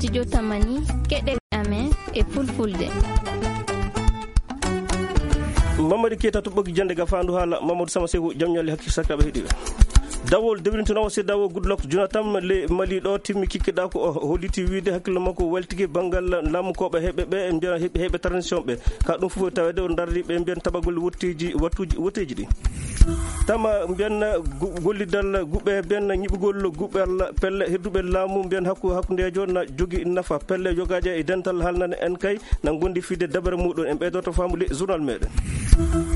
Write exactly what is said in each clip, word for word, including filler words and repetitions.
Studio Tamani, keɗe amen e fulfulde. Mamadi Keita to ɓoggi jannde ga faandu haala Mamadou Sama Seku, jam ñaali hakkil sakkaɓe heɗiɓe. Dawol dewlintinowo C D A O Goodluck Jonathan le Mali ɗo timmi kikkiɗa ko o holliti wiide hakkillo makko weltiki banngal laamu koɓe heɓe ɓe, mbiyana heɓe, heɓe transition ɓe. Ka ɗum fof tawede o darri ɓe mbiyan tabagol wotteji, wattuji, wotteji ɗi. Tama mbiyan gu-, gollidal guɓe mbiyan ñiɓugol guɓal pelle hedduɓe laamu mbiyan hakku-, hakkundejo na jogi nafa pelle jogaje e dental halnane en kay na gondi fide dabere muɗum en ɓeydoto famude journal meɗen.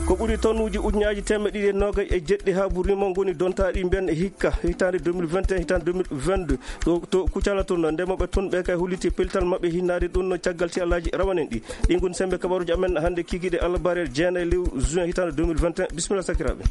Ko ɓuri tonnuji ujunaji temeɗe ɗiɗi e nogay e jeɗɗi ha burima goni dontaɗi mbiyan hikka hitande deux mille vingt et un, hitande deux mille vingt-deux. To, to Kucala toon, ndemoɓe toon ɓe kay holliti pellital maɓɓe hinnade ɗum no caggal si Alhaji rawanen ɗi. Ɗi ngoni sembe kabaruji amen hannde kikiɗe Allah barel jeenayi lewru juin hitande deux mille vingt et un. Bisimilla sakiraaɓe.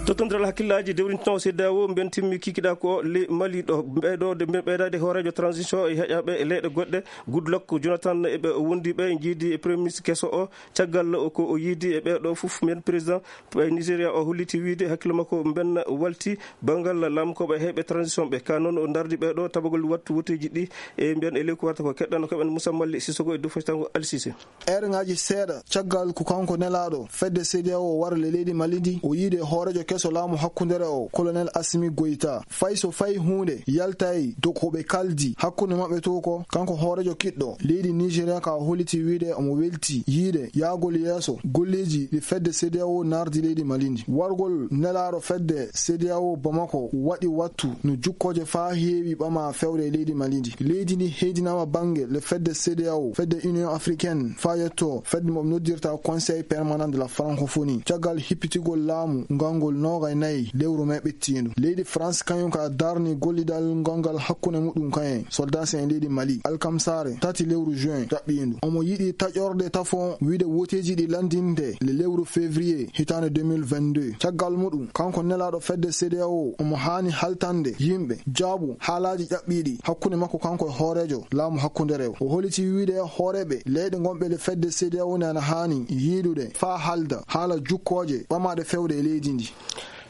Tottondiral hakkillaji dewlintinowo C D A O mbiyen timmi kikiɗa ko le Mali ɗo ɓeyɗo de mbiyen ɓeydade hoorejo transition e heƴaɓe e leyɗe goɗɗe Goodluck Jonathan e ɓe wondiɓe jiidi e premier ministre keso o caggal o ko o yiidi e ɓeɗo fof mbiyen président Nigeria o holliti wiide hakkille makko mbenna walti banngal laamu koɓe heɓe transition ɓe ka noon o dardi ɓeɗo tabagol wattu woteji ɗi e mbiyen e leyku warta ko keɗɗano koɓen Moussa Malli Sissoko e dow fasitango Alsise. Eerŋaaji seeɗa caggal ko kanko nelaaɗo fedde C D A O wara le leydi Mali ndi, o yiide hooreejo keso laamu hakkundere o, Colonel Assimi Goïta. Fay so fay huunde yaltay dow ko ɓe kaldi hakkunde maɓɓe to ko, kanko hooreejo kiɗɗo leydi Nigeria ka holliti wiide omo welti yiide yaagol yeeso golleeji ɗi fedde C D A O nardi leydi Mali ndi. Wargol nelaaɗo fedde C D A O Bamako waɗi wattu no jukkooje faa heewi ɓama fewre e leydi Mali ndi. Leydi ndi heedinaama bannge le fedde C D A O, fedde Union Africaine, faa yetto fedde mo noddirta Conseil Permanent de la Francophonie. Caggal hippitigol laamu ngal ngol noogay nayi lewru mee ɓettiindu. Leydi France kañum ka darni gollidal ngal ngal hakkunde muɗum kañum soldat en leydi Mali. Alkamsare tati lewru juin ɗaɓɓiindu. Omo yiɗi taƴorde tafon wiide woteeji ɗi lanndinde le lewru février hitaande deux mille vingt-deux. Caggal muɗum, kanko nelaaɗo fedde C D A O, omo haani haltande yimɓe jaabu haalaaji ƴaɓɓiiɗi hakkunde makko kanko e hooreejo laamu hakkundereewo. O holliti wiide hooreeɓe leyɗe ngonɓe le fedde C D A O ne ana haani yiidude faa haalda haala jukkooje ɓamaaɗe fewde e leydi ndi.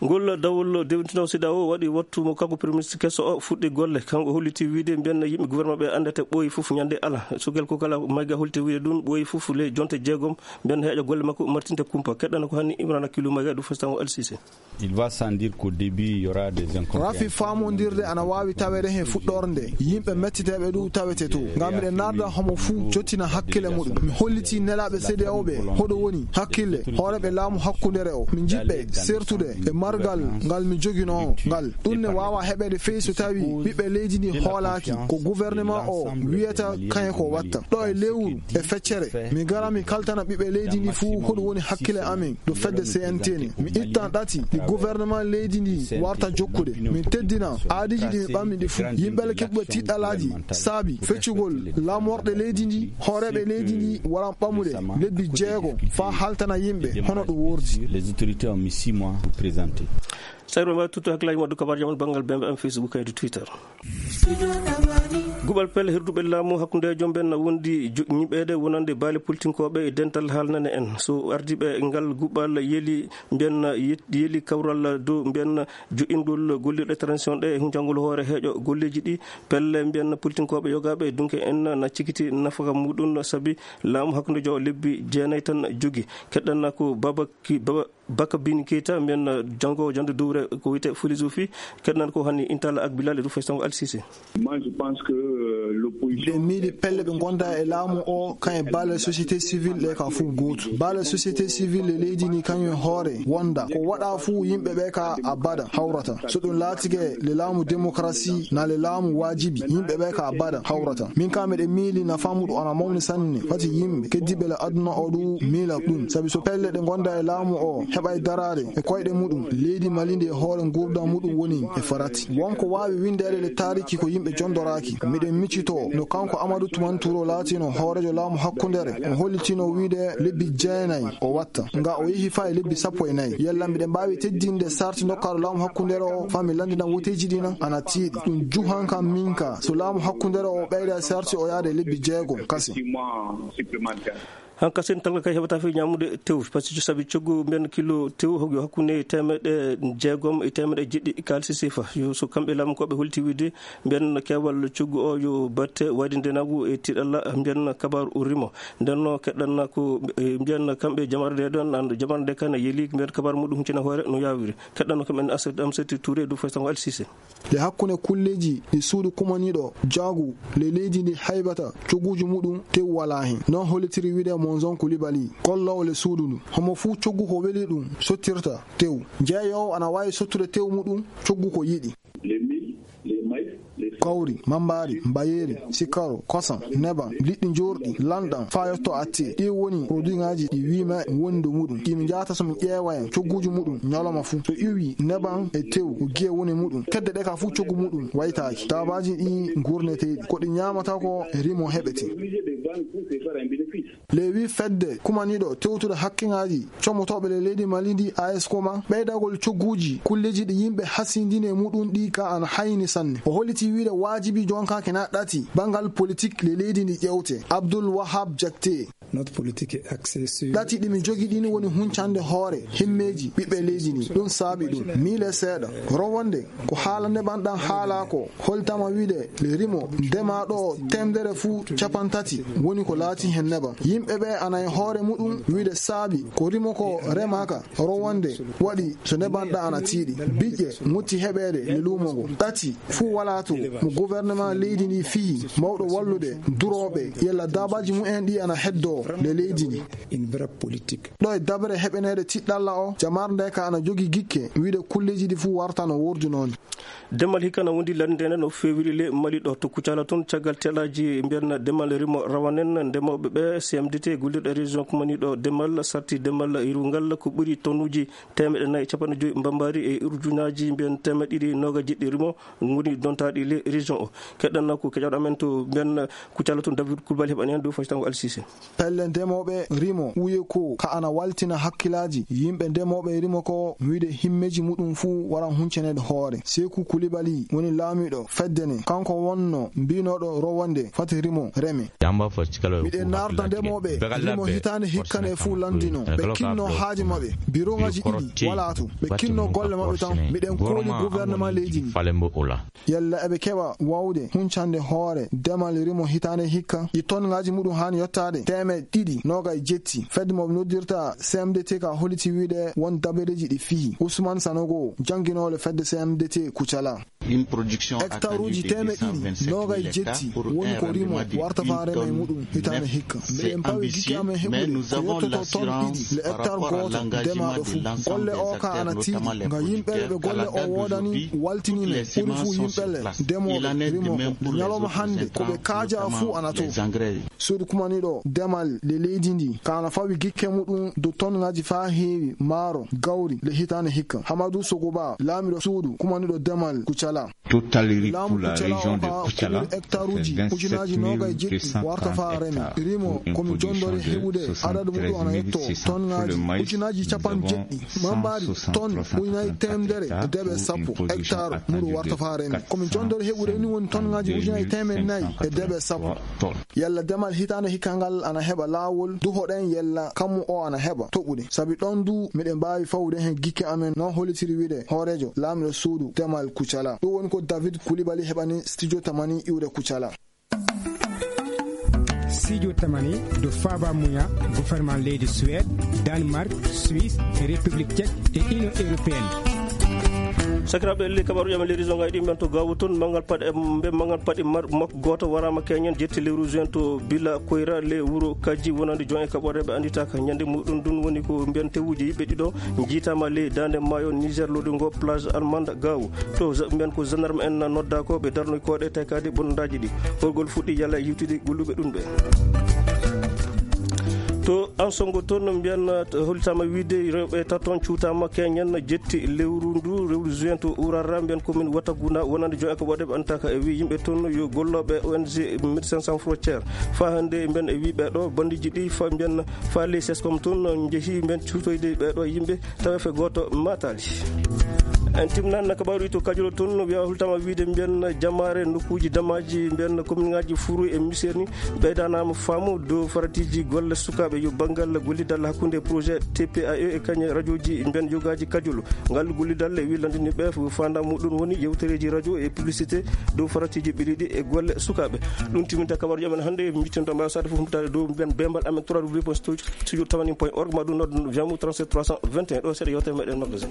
Ngol dawol dewtino C D A O waɗi wattu mo kanko Premier Ministre keso o fuɗɗi golle. Kanko holliti wiide mbiyen yimɓe gouvernement ɓe anndata ɓooyi fof ñande ala. Sugel ko kala mayga holliti wiide ɗum ɓooyi fof le jonte jeegom mbiyen heeƴa golle makko martinte kumpa. Keɗɗana ko hanni Imrana Kilu mayga ɗum fasitango Alsise. Il va sans dire qu'au début, il y aura des incompréhensions. Rafi faamondirde ana waawi taweede he fuɗɗorde. Yimɓe mettiteeɓe ɗum tawete to. Ngam miɗen narda homo fuu jottina hakkile muɗum. Mi holliti nelaaɓe C D A O ɓe hoɗo woni hakkille hooreeɓe laamu hakkundere o. Mi jiɗɓe sertude e margal ngal mi joginoo ngal. Ɗum ne waawa heɓeede fey so tawi ɓiɓɓe leydi ndi hoolaaki ko gouvernement o wiyata kañum ko watta. Ɗo e lewru e feccere, mi gara mi kaltana ɓiɓɓe leydi ndi fuu hoɗum woni hakkile amen. Ɗo fedde C N T ne. Mi ittan ɗati ɗi gouvernement leydi ndi warta jokkude. Min teddina aadiji ɗi mi ɓammi ɗi fuu. Yimɓe le keɓɓe tiɗɗalaaji saabi feccugol laamorɗe leydi ndi, hooreeɓe leydi ndi waran ɓamude lebbi jeego faa haltana yimɓe hono ɗum wordi. Les autorités ont mis six mois pour présenter. Sayro mbawi tutto hakkillaji moɗo kabar jaman banngal bembe am Facebook kaydi Twitter. Guɓal pelle hirduɓe laamu hakkunde joom ɓen na wondi jo-, ñiɓeede wonande baali politinkoɓe e dental haalnane en. So ardiɓe ngal guɓal yeli mbiyen yet-, yeli kawral dow mbiyen joɗɗingol gollirɗe transition ɗe e huncangol hoore heeƴo golleeji ɗi pelle mbiyen politinkoɓe yogaɓe dunke en na cikiti nafaka muɗum sabi laamu hakkunde jo lebbi jeenayi tan jogi. Keɗɗanna ko Baba Ki-, Baba Baka Bin Keita, mbiyen, uh, janngo jannde dowre ko wiyetee philosophie, keɗnan ko hani Intala ak Bilal e Rufai Sango Al Sise. Moi, je pense que, euh, l'opposition. Miɗen miili pelle ɓe ngonda e laamu o, kan e baale société civile ɗe ka fof gootu. Baale société civile e leydi ni kañum e hoore wonda. Ko waɗa fof yimɓe ɓe ka abada hawrata. So ɗum laatike le laamu démocratie na le laamu waajibi, yimɓe ɓe ka abada hawrata. Min ka miɗen miili na famuɗo ana mawni sanne. Fati yimɓe keddiɓe le aduna o ɗum miila ɗum. Sabi so pelle ɗe ngonda e laamu o heɓay daraade e koyɗe muɗum, leydi Mali ndi e hoore ngurdam muɗum woni e farati. Wonko waawi windeede le taariki ko yimɓe jondoraaki. Miɗen miccito no kanko Amadou Toumani Touré laatino hoorejo laamu hakkundere. O hollitino wiide lebbi jeenayi o watta. Nga o yehi faa e lebbi sappo e nayi. Yalla miɗen mbaawi teddinde sarti ndokkaaɗo laamu hakkundere o faa mi lanndina woteeji ɗi na ana tiiɗi. Ɗum juhan kam min ka. So laamu hakkundere o ɓeyda sarti o yaade lebbi jeegom kase. Six mois supplémentaires. Hanka sen talka kay heɓata fi ñamude tew, parce que sabi coggu mbiyan kilo tew hoggo hakkunde temeɗe jeegom e temeɗe jeɗɗi kalisi sifa. Yo so kamɓe laamu koɓe holti wiide mbiyan kewal coggu o yo batte wayde ndenagu e tiɗalla mbiyan kabar o rimo. Nden no keɗɗanna ko, e, mbiyan kamɓe jamar nde ɗon, an jamar nde kan yeli mbiyan kabar muɗum huncina hoore no yawiri. Keɗɗanno kamɓe Asset Amseti Touré du Fastango Alsise. Le hakkunde kulleeji ɗi suudu kumaniiɗo jaagu le leydi ndi haybata cogguuji muɗum tew walaa heen. Noon hollitiri wiide Monzon Kulibali, golloowo le suudu ndu. Homo fuu coggu ko weli ɗum sottirta tew. Jeeyoowo ana waawi sottude tew muɗum coggu ko yiɗi. Kawri, mambaari, mbayeeri, sikaro, kosam, nebam, liɗɗi njoorɗi, lanɗam, faa yotto atti. Ɗi woni produitŋaaji ɗi wiima woni dow muɗum. Ɗi mi njahata so mi ƴeewa en cogguuji muɗum ñalawma fuu. So iwi nebam e tew ko giye woni muɗum. Kedde ɗe ka fuu coggu muɗum waytaaki. Daabaaji ɗi nguurneteeɗi. Ko ɗi ñaamata ko rimo heɓete. Lewi fedde kumaniiɗo tewtude hakkeŋaaji comotooɓe le leydi Mali ndi A S Koma, ɓeydagol cogguuji kulleeji ɗi yimɓe hasindini e muɗum ɗi ka ana hayni sanne. O holliti wiide waajibi jonka kena ɗati banngal politik le leydi ndi ƴewte. Abdul Wahab Jakte. Notre politique est axée sur Ɗati ɗi mi jogi ɗin woni huncande hoore himmeeji ɓiɓɓe leydi ndi. Ɗum saabi ɗum. Miile seeɗa. Rowonde ko haala neɓanɗan haala ko holtama wiide le rimo ndema ɗo temedere fuu capantati woni ko laati heen nebam. Yimɓe ɓe ana e hoore muɗum wiide saabi ko rimo ko remaka rowonde waɗi so neɓanɗa ana tiiɗi. Biƴƴe mutti heɓeede le luumo ngo. Ɗati fuu walaa to mo gouvernement leydi ndi fiyi mawɗo wallude durooɓe yalla daabaaji mumen ɗi ana heddoo le leydi ndi. Une vraie politique. Ɗo e dabre heɓeneede tiɗɗalla o, jamar nde ka ana jogi gikke wiide kulleeji ɗi fuu warta no wurdunooni. Demal hikka na wondi lanndeende no feewiri le Mali ɗo to Kucala toon caggal telaaji mbiyan demal rimo rawanen ndemooɓe ɓe C M D T gollirɗo région kumani ɗo demal sarti demal irungal ko ɓuri tonnuji temeɗe nayi capanɗe joyi mbambaari e urjunaaji mbiyan temeɗe ɗiɗi nooga jeɗɗi rimo ngoni dontaaɗi le région o. Keɗɗanna ko keƴaɗo amen to mbiyan Kucala toon David Kulbali heɓani heen dow faytango Alsise. Pelle ndemooɓe rimo uye ko ka ana waltina hakkilaaji yimɓe ndemooɓe rimo ko wiide himmeeji muɗum fuu wara hunceneede hoore. Seeku Kulibali woni laamiiɗo fedde ne. Kanko wonno mbiinooɗo rowonde fati rimo reme. Miɗen naarda ndemooɓe rimo hitaande hikka ne fuu lanndino. Ɓe kinno haaji maɓɓe. Birowŋaaji ɗiɗi walaa to. Ɓe kinno golle maɓɓe tan. Miɗen kooli gouvernement leydi ndi. Yalla eɓe keɓa waawde huncande hoore demal rimo hitaande hikka? Ɗi tonŋaaji muɗum haani yottaade teemeɗɗe ɗiɗi nooga e jetti. Fedde mo ɓe noddirta C M D T ka holliti wiide won dabareeji ɗi fiyi. Usman Sanogo, jannginoowo le fedde C M D T Kucala. Hectaruuji teemeɗɗe ɗiɗi nooga e jetti woni ko rimo warta faa rema e muɗum hitaande hikka. Miɗen pawi gikke amen heɓude ko yottoto ton ɗiɗi le hectare gooto ndemaaɗo fuu. Golle o ka ana tiiɗi nga yimɓe ɓe golle o woodani waltini men ɓuri fuu yimɓe le ndemooɓe rimo ko. Nde ñalawma hannde ko ɓe kaaja fuu ana to. Suudu kumaniiɗo demal le leydi ndi ka ana fawi gikke muɗum dow tonŋaaji faa heewi maaro gawri le hitaande hikka. Hamadu Sogoba, laamiiɗo suudu kumaniiɗo demal Kucala. Laamu Kucala o ka hectaruuji ujunaaji nooga e jeɗɗi warta faa remi. Rimo ko mi jondori heɓude adadu muɗum ana yetto tonŋaaji ujunaaji capanɗe jeɗɗi. Mambaari ton ujunaaji teemedere e deeɓe sappo hectare muɗum warta faa remi. Ko mi jondori heɓude ni woni tonŋaaji ujunaaji teemedde nayi e deeɓe sappo. Yalla demal hitaande hikka ngal ana heɓa laawol? Duhoɗen yalla kammu o ana heɓa toɓude. Sabi ɗon du miɗen mbaawi fawude heen gikke amen, noon hollitiri wiide hooreejo laamiiɗo suudu demal Kucala. Ɗum woni ko David Kulibali heɓani studio tamani iwde Kucala. Studio tamani do Faba Muya, gouvernement leydi Suède, Danemark, Suisse, République Tchèque et Union Européenne. Sakiraaɓe, elli kabaruuji amen leydi zonga e ɗi men to Gaawu toon, manngal paɗe, mbe manngal paɗe mar-, makko gooto waraama keñen jetti lewru juin to Bila Koyra le wuro Kajji wonande jon e kaɓore ɓe annditaaka ñande muɗum. Ɗum woni ko mbiyan tewuji yimɓe ɗiɗo njiitaama ley daande maayo Niger lodungo plage Almanda Gaawu. To za-, mbiyan ko gendarme en nodda ko ɓe darnoy koɗe taykade bonondaaji ɗi. Horgol fuɗɗi yalla e yiwtidi golluɓe ɗum ɓe. To Ansongo toon no mbiyan, eh, hollitaama wiide rewɓe taton cuutaama keñen jetti lewru ndu, lewru juin to Urara, mbiyan commune Wataguna, wonande jon e ko waɗe ɓe antaka e wi yimɓe toon yo gollooɓe O N G Médecins Sans Frontières. Faa hannde mbiyan e wi ɓeɗo bandiji ɗi fa mbiyan fa les sescom toon njehi mbiyan cuutoyde ɓeɗo yimɓe tawa fe gooto mataali. En timnan kabaru to Kajolo toon, wiya hultama wiide mbiyen jamaare nokkuuji damaaji mbiyen kominŋaaji Furu e Misirni ɓeydanaama faamu dow faratiiji golle sukaaɓe yo banngal gollidal hakkunde projet T P A E e kañe rajooji mbiyen yogaaji Kajolo. Ngal gollidal e wi lanndini ɓe faanda muɗum woni yewtereeji rajo e publicité dow faratiiji ɓiɗiɗi e golle sukaaɓe. Ɗum timinta kabaruji amen hannde, mbittino ɗo mbaawa sade fof humpitaade dow mbiyen bembal amen trois w point studio tamani point org ma ɗum noddo jamu trente-sept trois cent vingt et un ɗo seeɗa yewtere meɗen magasin.